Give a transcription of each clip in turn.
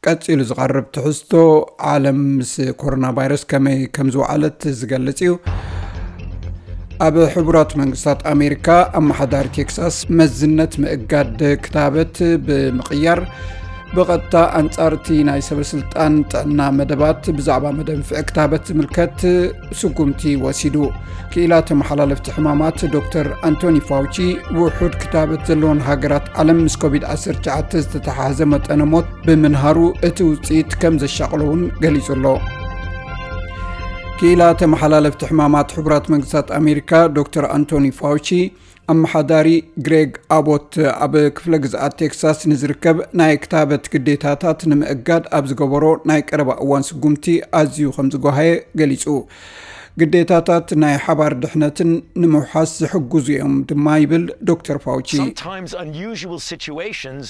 ቀጺሉ ዝቐርብ ትሕዝቶ፣ ዓለም ምስ ኮሮና ቫይረስ ከመይ ከም ዝወዓለት ዝገልጽ እዩ። ኣብ ሕቡራት መንግስታት ኣሜሪካ ኣመሓዳሪ ቴክሳስ መዝነት ምእጋድ ክታበት ብምቕያር፣ ብቐጥታ ኣንጻር እቲ ናይ ሰበ ስልጣን ጥዕና መደባት ብዛዕባ መደንፍዒ ክታበት ዝምልከት ስጉምቲ ወሲዱ። ክኢላ ተመሓላለፍቲ ሕማማት ዶክተር ኣንቶኒ ፋውቺ፣ ውሑድ ክታበት ዘለወን ሃገራት ዓለም ምስ ኮቪድ ዓሰርተ ትሽዓተ ዝተተሓሓዘ መጠነ ሞት ብምንሃሩ፣ እቲ ውጽኢት ከም ዘሻቕሎ እውን ገሊጹ ኣሎ። ክኢላ ተመሓላለፍቲ ሕማማት ሕቡራት መንግስታት ኣሜሪካ ዶክተር ኣንቶኒ ፋውቺ፣ ኣመሓዳሪ ግሬግ ኣቦት ኣብ ክፍለ ግዝኣት ቴክሳስ ንዝርከብ ናይ ክታበት ግዴታታት ንምእጋድ ኣብ ዝገበሮ ናይ ቀረባ እዋን ስጉምቲ ኣዝዩ ከም ዝጓሃየ ገሊጹ። ግዴታታት ናይ ሓባር ድሕነትን ንምውሓስ ዝሕግዙ እዮም ድማ ይብል ዶክተር ፋውቺ። Sometimes unusual situations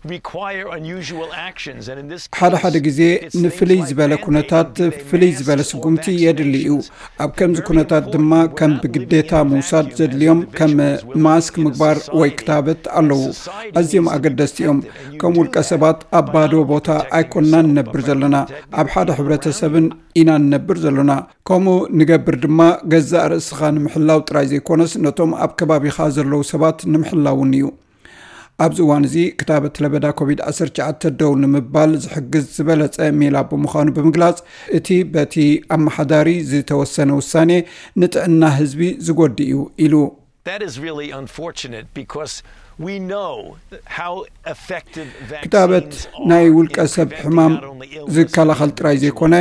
require unusual actions, and in this ሓደ ሓደ case, ግዜ it's things ንፍልይ like ዝበለ mandating ኩነታት the ፍልይ ዝበለ mandates or ስጉምቲ የድሊ እዩ። Vaccinations. ኣብ ከምዚ ኩነታት ድማ ከም ብግዴታ ምውሳድ ዘድልዮም ከም ማስክ ምግባር ወይ ክታበት ኣለዉ። ኣዝዮም ኣገደስቲ እዮም። ከም ውልቀ ሰባት ኣብ ባዶ ቦታ ኣይኮንና ንነብር ዘለና። ኣብ ሓደ ሕብረተሰብን ኢና ንነብር ዘለና። ከምኡ ንገብር ድማ ገዛእ ርእስኻ ንምሕላው ጥራይ ዘይኮነስ፣ ነቶም ኣብ ከባቢኻ ዘለዉ ሰባት ንምሕላውን እዩ። ኣብዚ እዋን እዚ ክታበት ለበዳ ኮቪድ ዓሰርተ ትሽዓተ ደው ንምባል ዝሕግዝ ዝበለጸ ሜላ ብምዃኑ ብምግላጽ፣ እቲ በቲ ኣመሓዳሪ ዝተወሰነ ውሳኔ ንጥዕና ህዝቢ ዝጎድእ እዩ ኢሉ። That is really unfortunate because we know how effective ክታበት vaccines ናይ are ውልቀ in ሰብ preventing ሕማም not only illness ዝከላኸል but ጥራይ individual ዘይኮነ፣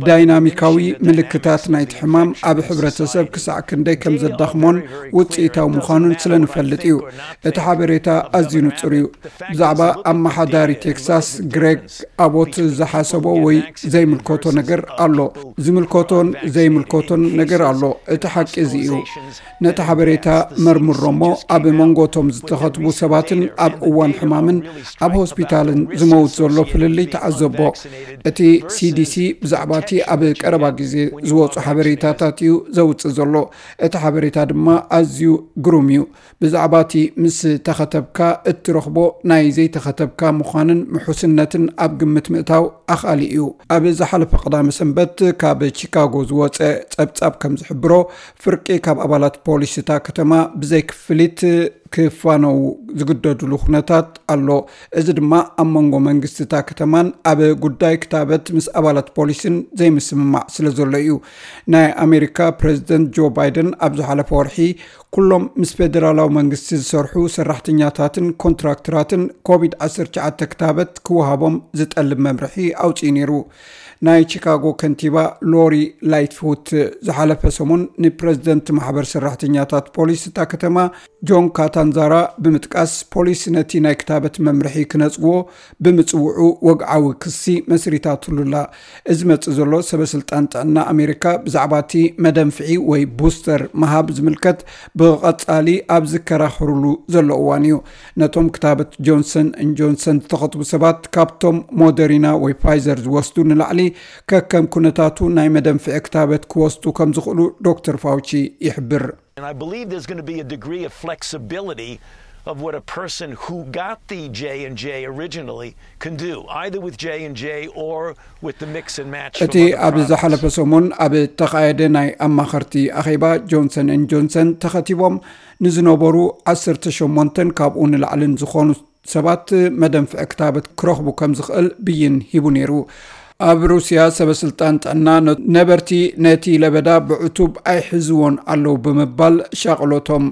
ዳይናሚካዊ ምልክታት ናይቲ ሕማም ኣብ ሕብረተሰብ ክሳዕ ክንደይ ከም ዘዳኽሞን ውጽኢታዊ ምዃኑን ስለ ንፈልጥ እዩ። እቲ ሓበሬታ ኣዝዩ ንጹር እዩ። ብዛዕባ ኣመሓዳሪ ቴክሳስ ግሬግ ኣቦት ዝሓሰቦ ወይ ዘይምልከቶ ነገር ኣሎ። ዝምልከቶን ዘይምልከቶን ነገር ኣሎ። እቲ ሓቂ እዚ እዩ። ነቲ ሓበሬታ መርምሮ እሞ፣ ኣብ መንጎ እቶም ዝተኸትቡ ሰባትን ኣብ እዋን ሕማምን ኣብ ሆስፒታልን ዝመውት ዘሎ ፍልልይ ተዓዘቦ። እቲ ሲዲሲ ብዛዕባ እቲ ኣብ ቀረባ ግዜ ዝወጹ ሓበሬታታት እዩ ዘውጽእ ዘሎ። እቲ ሓበሬታ ድማ ኣዝዩ ግሩም እዩ። ብዛዕባ እቲ ምስ ተኸተብካ እትረኽቦ ናይ ዘይተኸተብካ ምዃንን ምሑስነትን ኣብ ግምት ምእታው ኣኻሊ እዩ። ኣብ ዝሓለፈ ቀዳመ ሰንበት ካብ ቺካጎ ዝወጸ ጸብጻብ ከም ዝሕብሮ፣ ፍርቂ ካብ ኣባላት ፖሊስ እታ ከተማ ብዘይ ክፍሊት ክፋነዉ ዝግደድሉ ኩነታት ኣሎ። እዚ ድማ ኣብ መንጎ መንግስቲ እታ ከተማን ኣብ ጉዳይ ክታበት ምስ ኣባላት ፖሊስን ዘይምስምማዕ ስለ ዘሎ እዩ። ናይ ኣሜሪካ ፕሬዝደንት ጆ ባይደን ኣብ ዝሓለፈ ወርሒ፣ ኩሎም ምስ ፌደራላዊ መንግስቲ ዝሰርሑ ሰራሕተኛታትን ኮንትራክተራትን ኮቪድ ዓሰርተ ትሽዓተ ክታበት ክወሃቦም ዝጠልብ መምርሒ ኣውጺኡ ነይሩ። ናይ ቺካጎ ከንቲባ ሎሪ ላይትፉት ዝሓለፈ ሰሙን ንፕሬዝደንት ማሕበር ሰራሕተኛታት ፖሊስ እታ ከተማ ጆን ካታንዛራ ብምጥቃስ፣ ፖሊስ ነቲ ናይ ክታበት መምርሒ ክነጽግዎ ብምጽውዑ ወግዓዊ ክሲ መስሪታትሉ ኣላ። እዚ መጽእ ዘሎ ሰበ ስልጣን ጥዕና ኣሜሪካ ብዛዕባ እቲ መደንፍዒ ወይ ቡስተር ምሃብ ዝምልከት ብቐጻሊ ኣብ ዝከራኸሩሉ ዘሎ እዋን እዩ። ነቶም ክታበት ጆንሰን ን ጆንሰን ዝተኸትቡ ሰባት፣ ካብቶም ሞደሪና ወይ ፋይዘር ዝወስዱ ንላዕሊ፣ ከከም ኩነታቱ ናይ መደንፍዒ ክታበት ክወስዱ ከም ዝኽእሉ ዶክተር ፋውቺ ይሕብር። And I believe there's gonna be a degree of flexibility of what a person who got the J and J originally can do, either with J and J or with the mix and match from እቲ other ኣብ products. ዝሓለፈ ሰሙን ኣብ እተኻየደ ናይ ኣማኸርቲ ኣኼባ፣ ጆንሰን ን ጆንሰን ተኸቲቦም ንዝነበሩ ዓሰርተ ሸሞንተን ካብኡ ንላዕልን ዝኾኑ ሰባት መደንፍዒ ክታበት ክረኽቡ ከም ዝኽእል ብይን ሂቡ ነይሩ። ኣብ ሩስያ ሰበ ስልጣን ጥዕና ነ-፣ ነበርቲ ነቲ ለበዳ ብዕቱብ ኣይሕዝዎን ኣለዉ ብምባል ሻቕሎቶም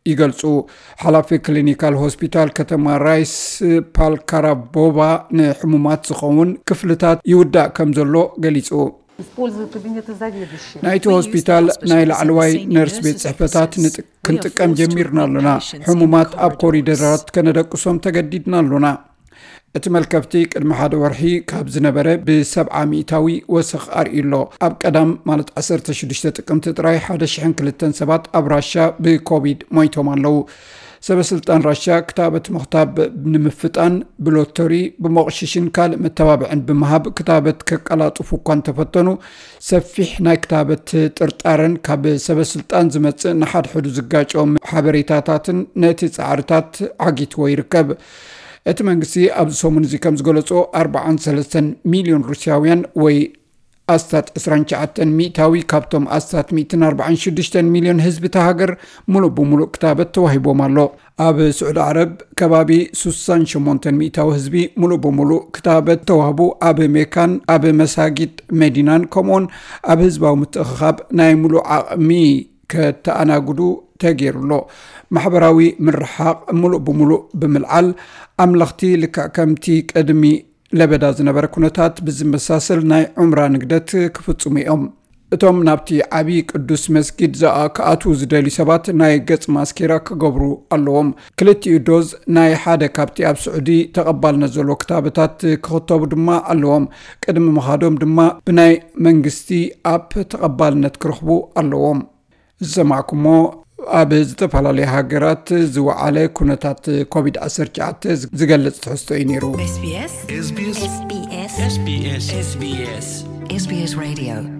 ይገልጹ። ሓላፊ ክሊኒካል ሆስፒታል ከተማ ራይስ ፓልካራቦቫ ንሕሙማት ዝኸውን ክፍልታት ይውዳእ ከም ዘሎ ገሊጹ። Использую кабинеты заведующих. ናይቲ ሆስፒታል ናይ ላዕለዋይ ነርስ ቤት ጽሕፈታት ንጥ-፣ ክንጥቀም ጀሚርና ኣሎና። ሕሙማት ኣብ ኮሪደራት ከነደቅሶም ተገዲድና ኣሎና። እቲ መልከፍቲ ቅድሚ ሓደ ወርሒ ካብ ዝነበረ ብሰብዓ ሚእታዊ ወሰኽ ኣርእዩ ኣሎ። ኣብ ቀዳም፣ ማለት ዓሰርተ ሽዱሽተ ጥቅምቲ ጥራይ፣ ሓደ ሽሕን ክልተን ሰባት ኣብ ራሻ ብኮቪድ ሞይቶም ኣለዉ። ሰበ ስልጣን ራሻ ክታበት ምኽታብ ንምፍጣን ብሎተሪ፣ ብመቑሽሽን ካልእ መተባብዕን ብምሃብ ክታበት ከቀላጥፉ እኳ እንተፈተኑ፣ ሰፊሕ ናይ ክታበት ጥርጣረን ካብ ሰበ ስልጣን ዝመጽእ ንሓድሕዱ ዝጋጨው ሓበሬታታትን ነቲ ጻዕርታት ዓጊትዎ ይርከብ። እቲ መንግስቲ ኣብዚ ሰሙን እዚ ከም ዝገለጾ፣ ኣርባዓን ሰለስተን ሚልዮን ሩስያውያን ወይ ኣስታት ዕስራን ትሽዓተን ሚእታዊ ካብቶም ኣስታት ሚእትን ኣርባዓን ሽዱሽተን ሚልዮን ህዝቢ እታ ሃገር ምሉእ ብምሉእ ክታበት ተዋሂቦም ኣሎ። ኣብ ስዑዲ ዓረብ ከባቢ ሱሳን ሸሞንተን ሚእታዊ ህዝቢ ምሉእ ብምሉእ ክታበት ተዋህቡ። ኣብ ሜካን ኣብ መሳጊድ መዲናን ከምኡውን ኣብ ህዝባዊ ምትእኽኻብ ናይ ምሉእ ዓቕሚ ከተኣናግዱ ተገይሩ ኣሎ። ማሕበራዊ ምርሓቕ ምሉእ ብምሉእ ብምልዓል፣ ኣምለኽቲ ልክዕ ከምቲ ቅድሚ ለበዳ ዝነበረ ኩነታት ብዝመሳሰል ናይ ዑምራ ንግደት ክፍጽሙ እዮም። እቶም ናብቲ ዓቢ ቅዱስ መስጊድ ዝኣ-፣ ክኣትዉ ዝደልዩ ሰባት ናይ ገጽ ማስኬራ ክገብሩ ኣለዎም። ክልቲኡ ዶዝ ናይ ሓደ ካብቲ ኣብ ስዑዲ ተቐባልነት ዘሎ ክታበታት ክኽተቡ ድማ ኣለዎም። ቅድሚ ምኻዶም ድማ ብናይ መንግስቲ ኣፕ ተቐባልነት ክረኽቡ ኣለዎም። ዝሰማዕኩሞ ኣብ ዝተፈላለያ ሃገራት ዝወዓለ ኩነታት ኮቪድ ዓሰርተ ትሽዓተ ዝገልጽ ትሕዝቶ እዩ ነይሩ። SBS SBS SBS SBS SBS SBS Radio